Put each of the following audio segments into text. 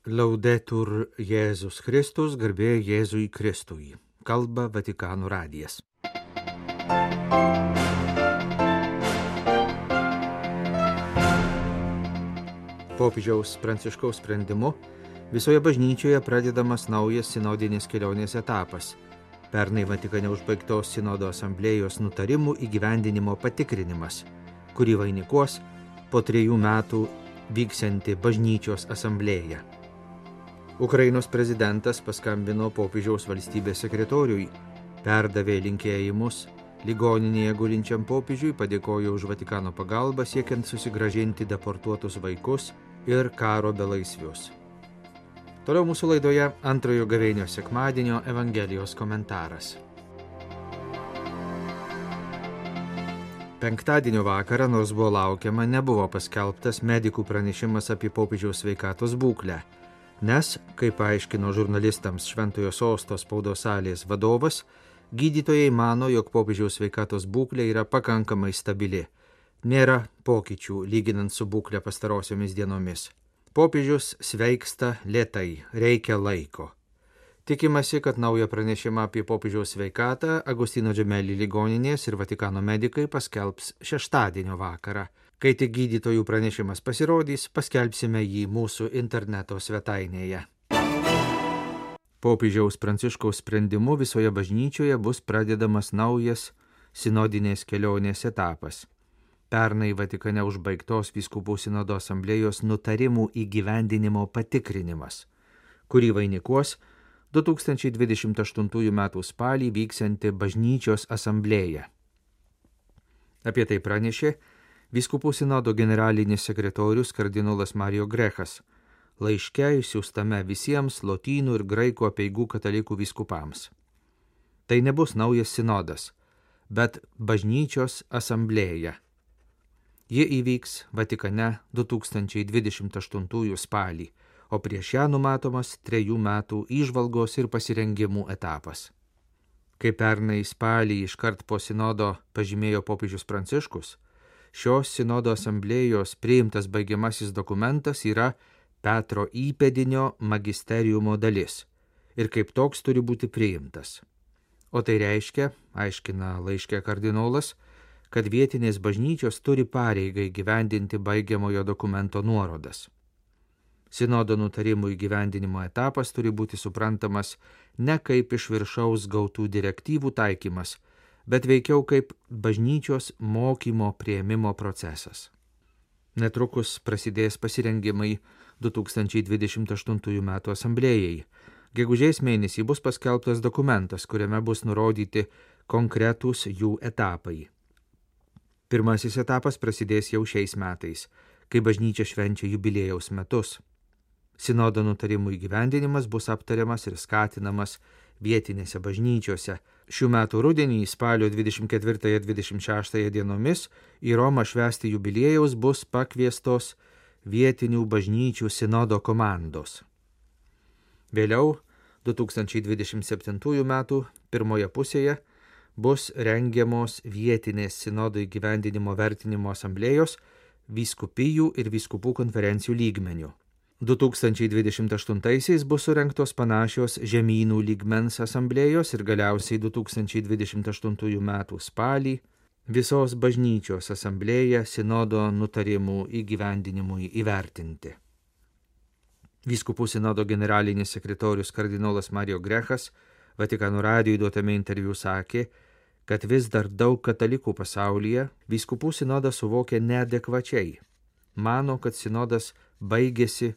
Laudetur Jėzus Kristus, garbė Jėzui Kristui. Kalba Vatikano radijas. Popiežiaus Pranciškaus sprendimu visoje bažnyčioje pradedamas naujas sinodinės kelionės etapas. Pernai Vatikane užbaigtos sinodo asamblėjos nutarimų įgyvendinimo patikrinimas, kurį vainikuos po 3 metų vyksianti bažnyčios asamblėja. Ukrainos prezidentas paskambino popiežiaus valstybės sekretoriui, perdavė linkėjimus ligoninėje gulinčiam popiežiui, padėkojo už Vatikano pagalbą siekiant susigrąžinti deportuotus vaikus ir karo belaisvius. Toliau mūsų laidoje antrojo gavėnios sekmadienio Evangelijos komentaras. Penktadienio vakarą, nors buvo laukiama, nebuvo paskelbtas medikų pranešimas apie popiežiaus sveikatos būklę, nes, kaip paaiškino žurnalistams Šventojo Sosto spaudos salės vadovas, gydytojai mano, jog popiežiaus sveikatos būklė yra pakankamai stabili. Nėra pokyčių lyginant su būklė pastarosiomis dienomis. Popiežius sveiksta lėtai, reikia laiko. Tikimasi, kad naują pranešimą apie popiežiaus sveikatą Agustino Gemelli ligoninės ir Vatikano medikai paskelbs šeštadienio vakarą. Kai tik gydytojų pranešimas pasirodys, paskelbsime jį mūsų interneto svetainėje. Popiežiaus Pranciškaus sprendimu visoje bažnyčioje bus pradedamas naujas sinodinės kelionės etapas. Pernai Vatikane užbaigtos vyskupų sinodo asamblėjos nutarimų įgyvendinimo patikrinimas, kurį vainikuos 2028 m. spalį vyksianti bažnyčios asamblėja. Apie tai pranešė Vyskupų sinodo generalinis sekretorius kardinolas Mario Grechas, laiške išsiųstame visiems lotynų ir graikų apeigų katalikų vyskupams. Tai nebus naujas sinodas, bet bažnyčios asamblėja. Ji įvyks Vatikane 2028 spalį, o prieš ją numatomas 3 metų įžvalgos ir pasirengimų etapas. Kai pernai spalį iškart po sinodo pažymėjo popiežius Pranciškus, šios sinodo asamblėjos priimtas baigiamasis dokumentas yra Petro įpėdinio magisteriumo dalis ir kaip toks turi būti priimtas. O tai reiškia, aiškina laiške kardinolas, kad vietinės bažnyčios turi pareigą įgyvendinti baigiamojo dokumento nuorodas. Sinodo nutarimų įgyvendinimo etapas turi būti suprantamas ne kaip iš viršaus gautų direktyvų taikymas, bet veikiau kaip bažnyčios mokymo priėmimo procesas. Netrukus prasidės pasirengimai 2028 m. asamblėjai. Gegužės mėnesį bus paskelbtas dokumentas, kuriame bus nurodyti konkretūs jų etapai. Pirmasis etapas prasidės jau šiais metais, kai bažnyčia švenčia jubiliejaus metus. Sinodo nutarimų įgyvendinimas bus aptariamas ir skatinamas vietinėse bažnyčiose. Šių metų rudenį spalio 24-26 dienomis į Romą švęsti jubiliejaus bus pakviestos vietinių bažnyčių sinodo komandos. Vėliau, 2027 metų pirmoje pusėje, bus rengiamos vietinės sinodo įgyvendinimo vertinimo asamblėjos vyskupijų ir vyskupų konferencijų lygmenių. 2028 bus surengtos panašios žemynų lygmens asamblėjos ir galiausiai 2028 m. spalį visos bažnyčios asamblėja sinodo nutarimų įgyvendinimui įvertinti. Vyskupų sinodo generalinis sekretorius kardinolas Mario Grechas Vatikano radijui duotame interviu sakė, kad vis dar daug katalikų pasaulyje vyskupų sinodą suvokia neadekvačiai. Mano, kad sinodas baigėsi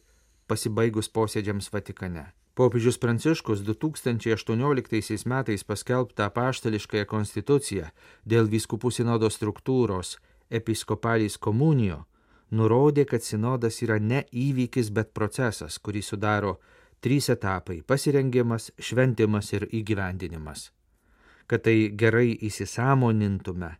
pasibaigus posėdžiams Vatikane. Popiežius Pranciškus 2018 metais paskelbtą apaštališkąją konstituciją dėl vyskupų sinodo struktūros Episcopalis Communio nurodė, kad sinodas yra ne įvykis, bet procesas, kurį sudaro 3 etapai – pasirengimas, šventimas ir įgyvendinimas. Kad tai gerai įsisąmonintume,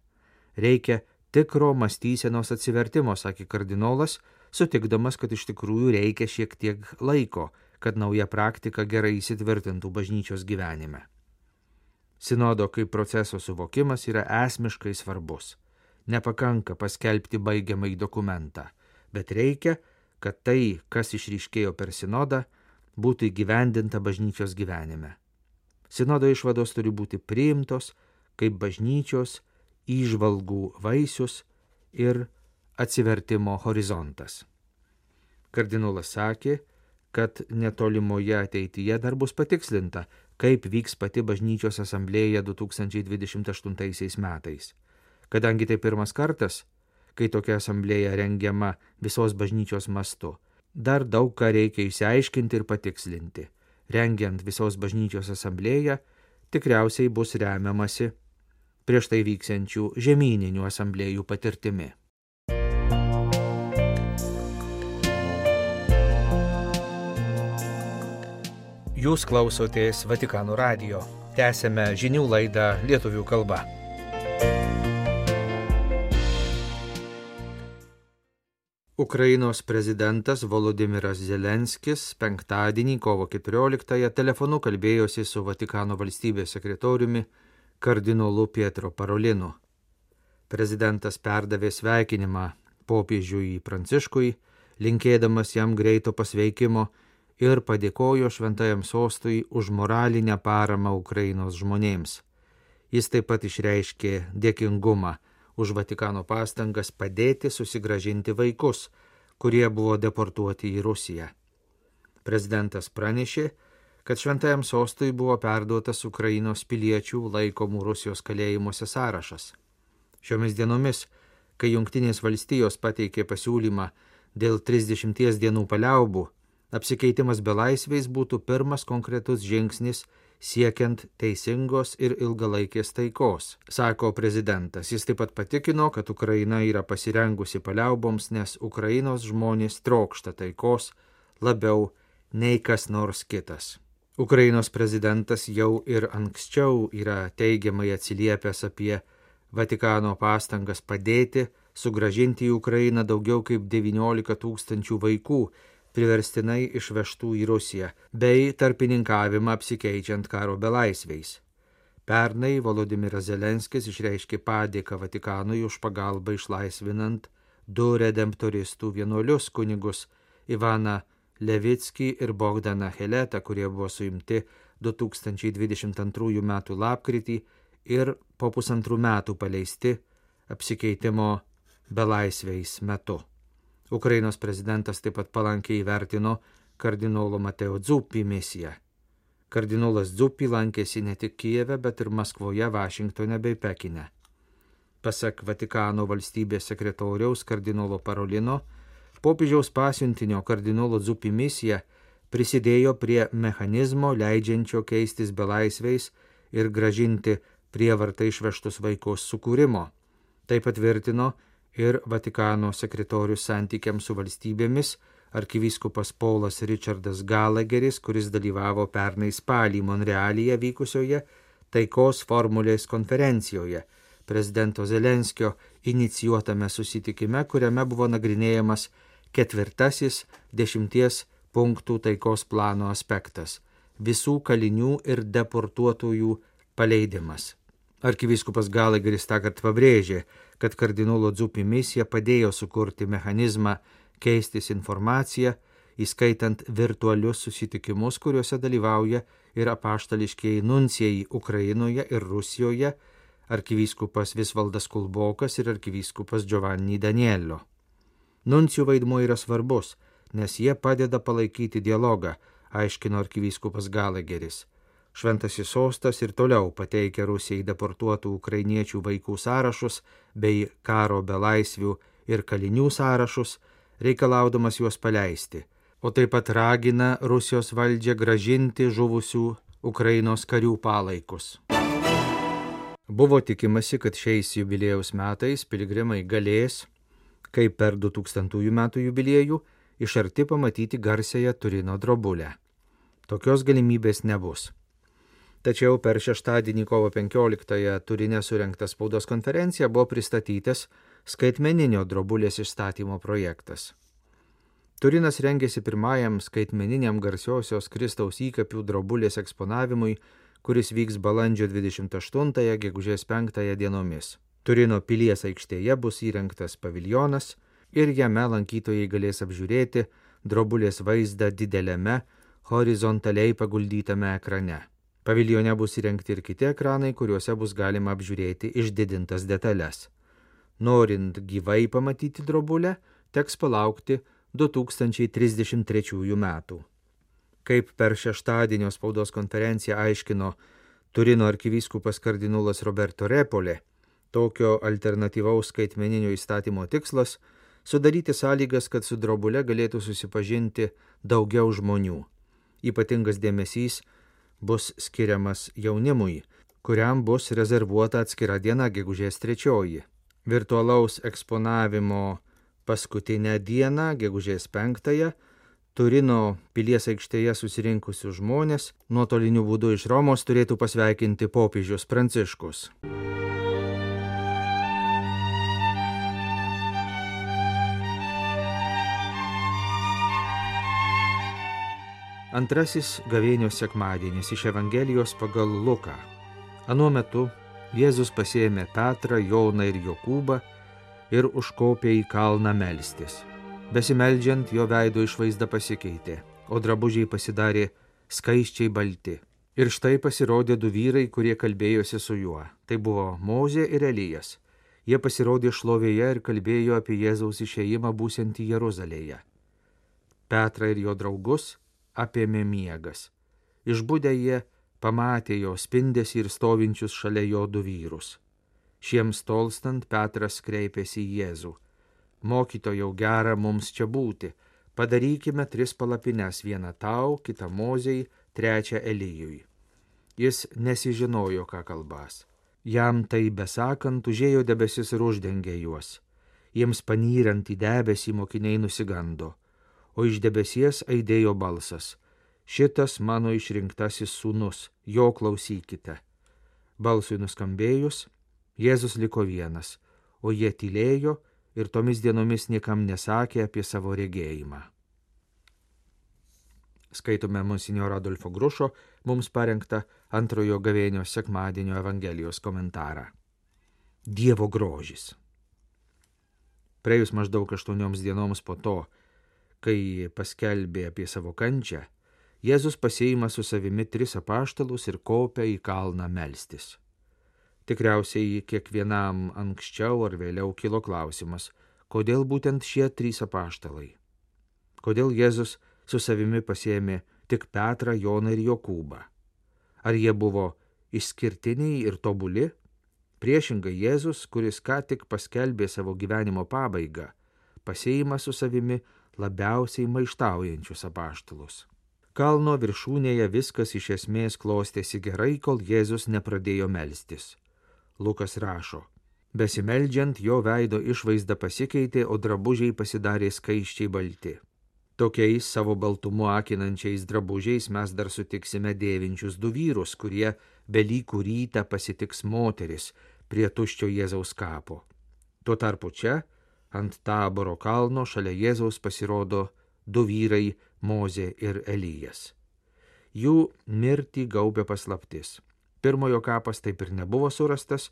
reikia tikro mąstysenos atsivertimo, sakė kardinolas, sutikdamas, kad iš tikrųjų reikia šiek tiek laiko, kad nauja praktika gerai įsitvirtintų bažnyčios gyvenime. Sinodo kaip proceso suvokimas yra esmiškai svarbus. Nepakanka paskelbti baigiamąjį dokumentą, bet reikia, kad tai, kas išryškėjo per sinodą, būtų įgyvendinta bažnyčios gyvenime. Sinodo išvados turi būti priimtos kaip bažnyčios įžvalgų vaisius ir atsivertimo horizontas. Kardinolas sakė, kad netolimoje ateityje dar bus patikslinta, kaip vyks pati bažnyčios asamblėja 2028 metais. Kadangi tai pirmas kartas, kai tokia asamblėja rengiama visos bažnyčios mastu, dar daug ką reikia išsiaiškinti ir patikslinti. Rengiant visos bažnyčios asamblėją, tikriausiai bus remiamasi prieš tai vyksiančių žemyninių asamblėjų patirtimi. Jūs klausotės Vatikano radijo. Tęsėme žinių laidą lietuvių kalba. Ukrainos prezidentas Volodymyras Zelenskis penktadienį kovo 14-ąją telefonu kalbėjosi su Vatikano valstybės sekretoriumi kardinolu Pietro Parolinu. Prezidentas perdavė sveikinimą popiežiui Pranciškui, linkėdamas jam greito pasveikimo ir padėkojo Šventajam sostui už moralinę paramą Ukrainos žmonėms. Jis taip pat išreiškė dėkingumą už Vatikano pastangas padėti susigrąžinti vaikus, kurie buvo deportuoti į Rusiją. Prezidentas pranešė, kad Šventajam sostui buvo perduotas Ukrainos piliečių laikomų Rusijos kalėjimuose sąrašas. Šiomis dienomis, kai Jungtinės valstijos pateikė pasiūlymą dėl 30 dienų paliaubų, apsikeitimas belaisviais būtų pirmas konkretus žingsnis siekiant teisingos ir ilgalaikės taikos, sako prezidentas. Jis taip pat patikino, kad Ukraina yra pasirengusi paliauboms, nes Ukrainos žmonės trokšta taikos labiau nei kas nors kitas. Ukrainos prezidentas jau ir anksčiau yra teigiamai atsiliepęs apie Vatikano pastangas padėti sugrąžinti į Ukrainą daugiau kaip 19 000 vaikų, priverstinai išvežtų į Rusiją, bei tarpininkavimą apsikeičiant karo belaisviais. Pernai Volodymyras Zelenskis išreiškė padėką Vatikanui už pagalbą išlaisvinant 2 redemptoristų vienuolius kunigus Ivaną Levickį ir Bogdaną Heletą, kurie buvo suimti 2022 m. lapkritį ir po 1,5 metų paleisti apsikeitimo belaisviais metu. Ukrainos prezidentas taip pat palankiai įvertino kardinolo Mateo Zuppi misiją. Kardinolas Zuppi lankėsi ne tik Kijeve, bet ir Maskvoje, Vašingtone bei Pekine. Pasak Vatikano valstybės sekretoriaus kardinolo Parolino, popiežiaus pasiuntinio kardinolo Zuppi misija prisidėjo prie mechanizmo leidžiančio keistis belaisviais ir gražinti prievartą išvežtus vaikus sukūrimo. Tai patvirtino ir Vatikano sekretorius santykiams su valstybėmis arkivyskupas Paulas Richardas Gallagheris, kuris dalyvavo pernai spalį Monrealyje vykusioje taikos formulės konferencijoje, prezidento Zelenskio inicijuotame susitikime, kuriame buvo nagrinėjamas 4. 10 punktų taikos plano aspektas – visų kalinių ir deportuotojų paleidimas. Arkivyskupas Gallagheris tąkart pabrėžė, kad kardinolo Zuppi misija padėjo sukurti mechanizmą keistis informaciją, įskaitant virtualius susitikimus, kuriuose dalyvauja ir apaštališkieji nuncijai Ukrainoje ir Rusijoje, arkivyskupas Visvaldas Kulbokas ir arkivyskupas Giovanni Daniello. Nuncijų vaidmuo yra svarbus, nes jie padeda palaikyti dialogą, aiškino arkivyskupas Gallagheris. Šventasis sostas ir toliau pateikia Rusijai deportuotų ukrainiečių vaikų sąrašus bei karo belaisvių ir kalinių sąrašus, reikalaudamas juos paleisti, o taip pat ragina Rusijos valdžią gražinti žuvusių Ukrainos karių palaikus. Buvo tikimasi, kad šiais jubiliejaus metais piligrimai galės, kaip per 2000 metų jubiliejų, iš arti pamatyti garsiąją Turino drobulę. Tokios galimybės nebus. Tačiau per šeštadienį kovo 15-ąją Turine surengtą spaudos konferenciją buvo pristatytas skaitmeninio drobulės išstatymo projektas. Turinas rengėsi pirmajam skaitmeniniam garsiosios Kristaus įkapių drobulės eksponavimui, kuris vyks balandžio 28-ąją gegužės 5-ąją dienomis. Turino pilies aikštėje bus įrengtas paviljonas, ir jame lankytojai galės apžiūrėti drobulės vaizdą dideliame, horizontaliai paguldytame ekrane. Paviljone bus įrengti ir kiti ekranai, kuriuose bus galima apžiūrėti išdidintas detalės. Norint gyvai pamatyti drobulę, teks palaukti 2033 metų. Kaip per šeštadienio spaudos konferenciją aiškino Turino arkivyskupas kardinolas Roberto Repolė, tokio alternatyvaus skaitmeninio įstatymo tikslas – sudaryti sąlygas, kad su drobule galėtų susipažinti daugiau žmonių. Ypatingas dėmesys bus skiriamas jaunimui, kuriam bus rezervuota atskira diena gegužės 3. Virtualaus eksponavimo paskutinę dieną, gegužės 5, Turino pilies aikštėje susirinkusius žmonės nuotoliniu būdu iš Romos turėtų pasveikinti popiežius Pranciškus. Antrasis gavėnios sekmadienis iš Evangelijos pagal Luką. Anuo metu Jėzus pasiėmė Petrą, Joną ir Jokūbą ir užkopė į kalną melstis. Besimeldžiant, jo veido išvaizda pasikeitė, o drabužiai pasidarė skaisčiai balti. Ir štai pasirodė du vyrai, kurie kalbėjosi su juo. Tai buvo Mozė ir Elijas. Jie pasirodė šlovėje ir kalbėjo apie Jėzaus išėjimą būsiantį Jeruzalėje. Petrą ir jo draugus apėmė miegas. Išbudę jie pamatė jo spindesį ir stovinčius šalia jo du vyrus. Šiems tolstant Petras kreipėsi į Jėzų. Mokytojau, gera mums čia būti. Padarykime 3 palapines, vieną tau, kitą Mozei, 3 Elijui. Jis nesižinojo, ką kalbas. Jam tai besakant, užėjo debesis ir uždengė juos. Jiems panyrant į debesį mokiniai nusigando, o iš debesies aidėjo balsas. Šitas mano išrinktasis sūnus, jo klausykite. Balsui nuskambėjus, Jėzus liko vienas, o jie tylėjo ir tomis dienomis niekam nesakė apie savo regėjimą. Skaitome monsinjoro Adolfo Grušo mums parengtą antrojo gavėnios sekmadienio Evangelijos komentarą. Dievo grožis. Praėjus maždaug 8 dienoms po to, kai paskelbė apie savo kančią, Jėzus pasiima su savimi 3 apaštalus ir kopia į kalną melstis. Tikriausiai kiekvienam anksčiau ar vėliau kilo klausimas, kodėl būtent šie 3 apaštalai? Kodėl Jėzus su savimi pasiėmė tik Petrą, Joną ir Jokūbą? Ar jie buvo išskirtiniai ir tobuli? Priešingai Jėzus, kuris ką tik paskelbė savo gyvenimo pabaigą, pasiima su savimi labiausiai maištaujančius apaštalus. Kalno viršūnėje viskas iš esmės klostėsi gerai, kol Jėzus nepradėjo melstis. Lukas rašo, besimeldžiant jo veido išvaizda pasikeitė, o drabužiai pasidarė skaisčiai balti. Tokiais savo baltumu akinančiais drabužiais mes dar sutiksime dėvinčius 2 vyrus, kurie Velykų rytą pasitiks moteris prie tuščio Jėzaus kapo. Tuo tarpu čia, ant Taboro kalno, šalia Jėzaus pasirodo 2 vyrai Mozė ir Elijas. Jų mirtį gaubė paslaptis. Pirmojo kapas taip ir nebuvo surastas,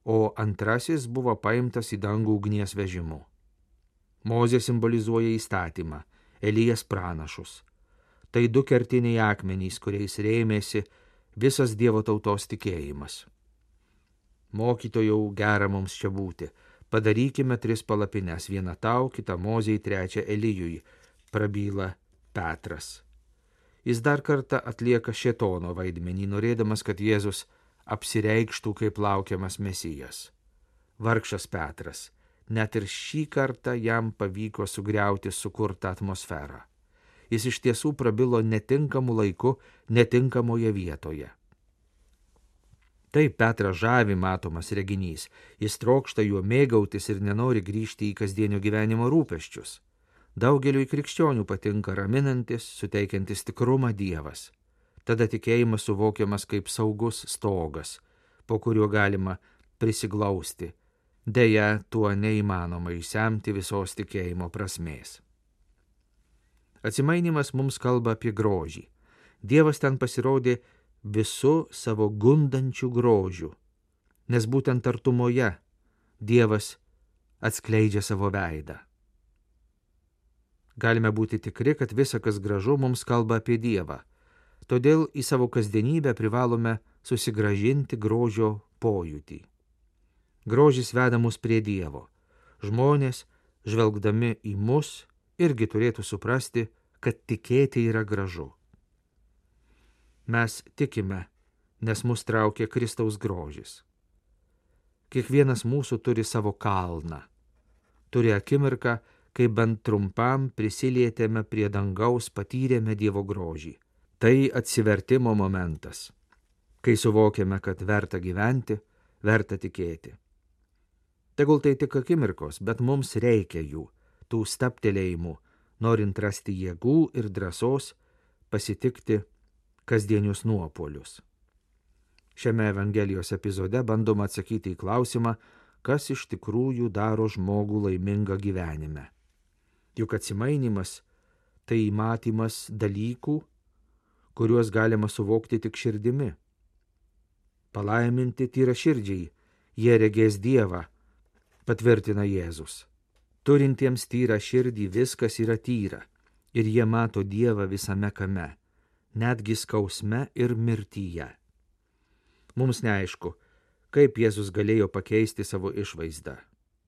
o antrasis buvo paimtas į dangų ugnies vežimu. Mozė simbolizuoja įstatymą, Elijas pranašus. Tai 2 kertiniai akmenys, kuriais rėmėsi visas Dievo tautos tikėjimas. Mokytojau, gera mums čia būti. Padarykime 3 palapines, vieną tau, kitą Mozei, 3 Elijui, prabyla Petras. Jis dar kartą atlieka šėtono vaidmenį, norėdamas, kad Jėzus apsireikštų kaip laukiamas Mesijas. Vargšas Petras, net ir šį kartą jam pavyko sugriauti sukurtą atmosferą. Jis iš tiesų prabilo netinkamu laiku, netinkamoje vietoje. Taip Petrą žavi matomas reginys, jis trokšta juo mėgautis ir nenori grįžti į kasdienio gyvenimo rūpesčius. Daugeliui krikščionių patinka raminantis, suteikiantis tikrumą Dievas. Tada tikėjimas suvokiamas kaip saugus stogas, po kuriuo galima prisiglausti. Deja, tuo neįmanoma išsemti visos tikėjimo prasmės. Atsimainimas mums kalba apie grožį. Dievas ten pasirodė visu savo gundančiu grožiu, nes būtent artumoje Dievas atskleidžia savo veidą. Galime būti tikri, kad visa, kas gražu, mums kalba apie Dievą. Todėl į savo kasdienybę privalome susigrąžinti grožio pojūtį. Grožis veda mus prie Dievo. Žmonės, žvelgdami į mus, irgi turėtų suprasti, kad tikėti yra gražu. Mes tikime, nes mus traukia Kristaus grožis. Kiekvienas mūsų turi savo kalną. Turi akimirką, kai bent trumpam prisilietėme prie dangaus, patyrėme Dievo grožį. Tai atsivertimo momentas, kai suvokiame, kad verta gyventi, verta tikėti. Tegul tai tik akimirkos, bet mums reikia jų, tų stabtelėjimų, norint rasti jėgų ir drąsos pasitikti kasdienius nuopuolius. Šiame Evangelijos epizode bandoma atsakyti į klausimą, kas iš tikrųjų daro žmogų laimingą gyvenime. Juk atsimainimas tai matymas dalykų, kuriuos galima suvokti tik širdimi. Palaiminti tyraširdžiai, jie regės Dievą, patvirtina Jėzus. Turintiems tyrą širdį viskas yra tyra, ir jie mato Dievą visame kame, netgi skausme ir mirtyje. Mums neaišku, kaip Jėzus galėjo pakeisti savo išvaizdą,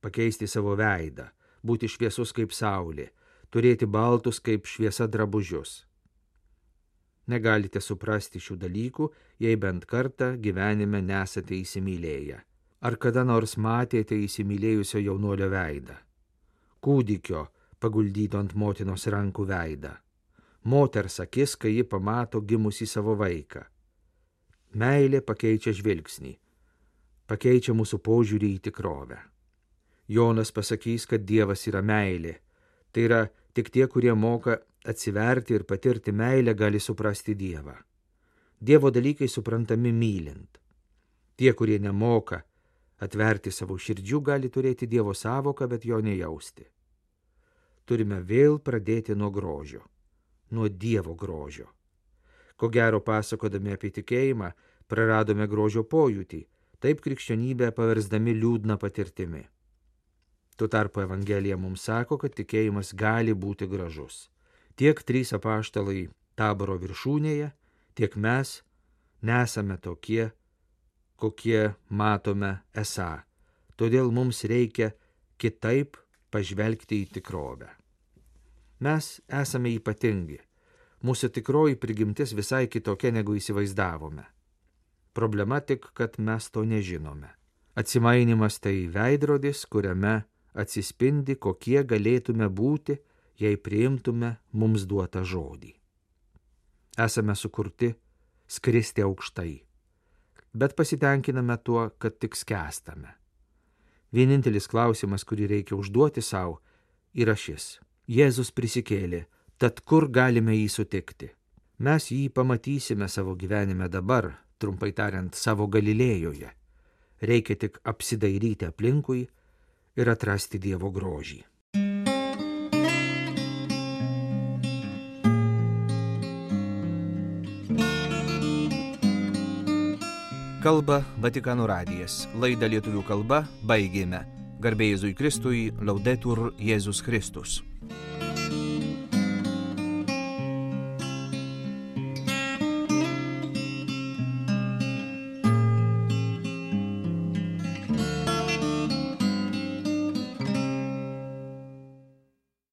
pakeisti savo veidą, būti šviesus kaip saulė, turėti baltus kaip šviesa drabužius. Negalite suprasti šių dalykų, jei bent kartą gyvenime nesate įsimylėję. Ar kada nors matėte įsimylėjusio jaunuolio veidą? Kūdikio paguldyto ant motinos rankų veidą. Moters akis, kai ji pamato gimusį savo vaiką. Meilė pakeičia žvilgsnį, pakeičia mūsų požiūrį į tikrovę. Jonas pasakys, kad Dievas yra meilė. Tai yra, tik tie, kurie moka atsiverti ir patirti meilę, gali suprasti Dievą. Dievo dalykai suprantami mylint. Tie, kurie nemoka atverti savo širdžių, gali turėti Dievo savoką, bet jo nejausti. Turime vėl pradėti nuo grožio, nuo Dievo grožio. Ko gero, pasakodami apie tikėjimą, praradome grožio pojūtį, taip krikščionybę paversdami liūdną patirtimi. Tuo tarpu Evangelija mums sako, kad tikėjimas gali būti gražus. Tiek 3 apaštalai Taboro viršūnėje, tiek mes nesame tokie, kokie matome esą. Todėl mums reikia kitaip pažvelgti į tikrovę. Mes esame ypatingi. Mūsų tikroji prigimtis visai kitokia, negu įsivaizdavome. Problema tik, kad mes to nežinome. Atsimainimas tai veidrodis, kuriame atsispindi, kokie galėtume būti, jei priimtume mums duotą žodį. Esame sukurti skristi aukštai, bet pasitenkiname tuo, kad tik skęstame. Vienintelis klausimas, kurį reikia užduoti savo, yra šis. Jėzus prisikėlė, tad kur galime jį sutikti? Mes jį pamatysime savo gyvenime dabar, trumpai tariant, savo Galilėjoje. Reikia tik apsidairyti aplinkui ir atrasti Dievo grožį. Kalba Vatikano radijas. Laidą lietuvių kalba baigėme. Garbė Jėzui Kristui, Laudetur Jėzus Kristus.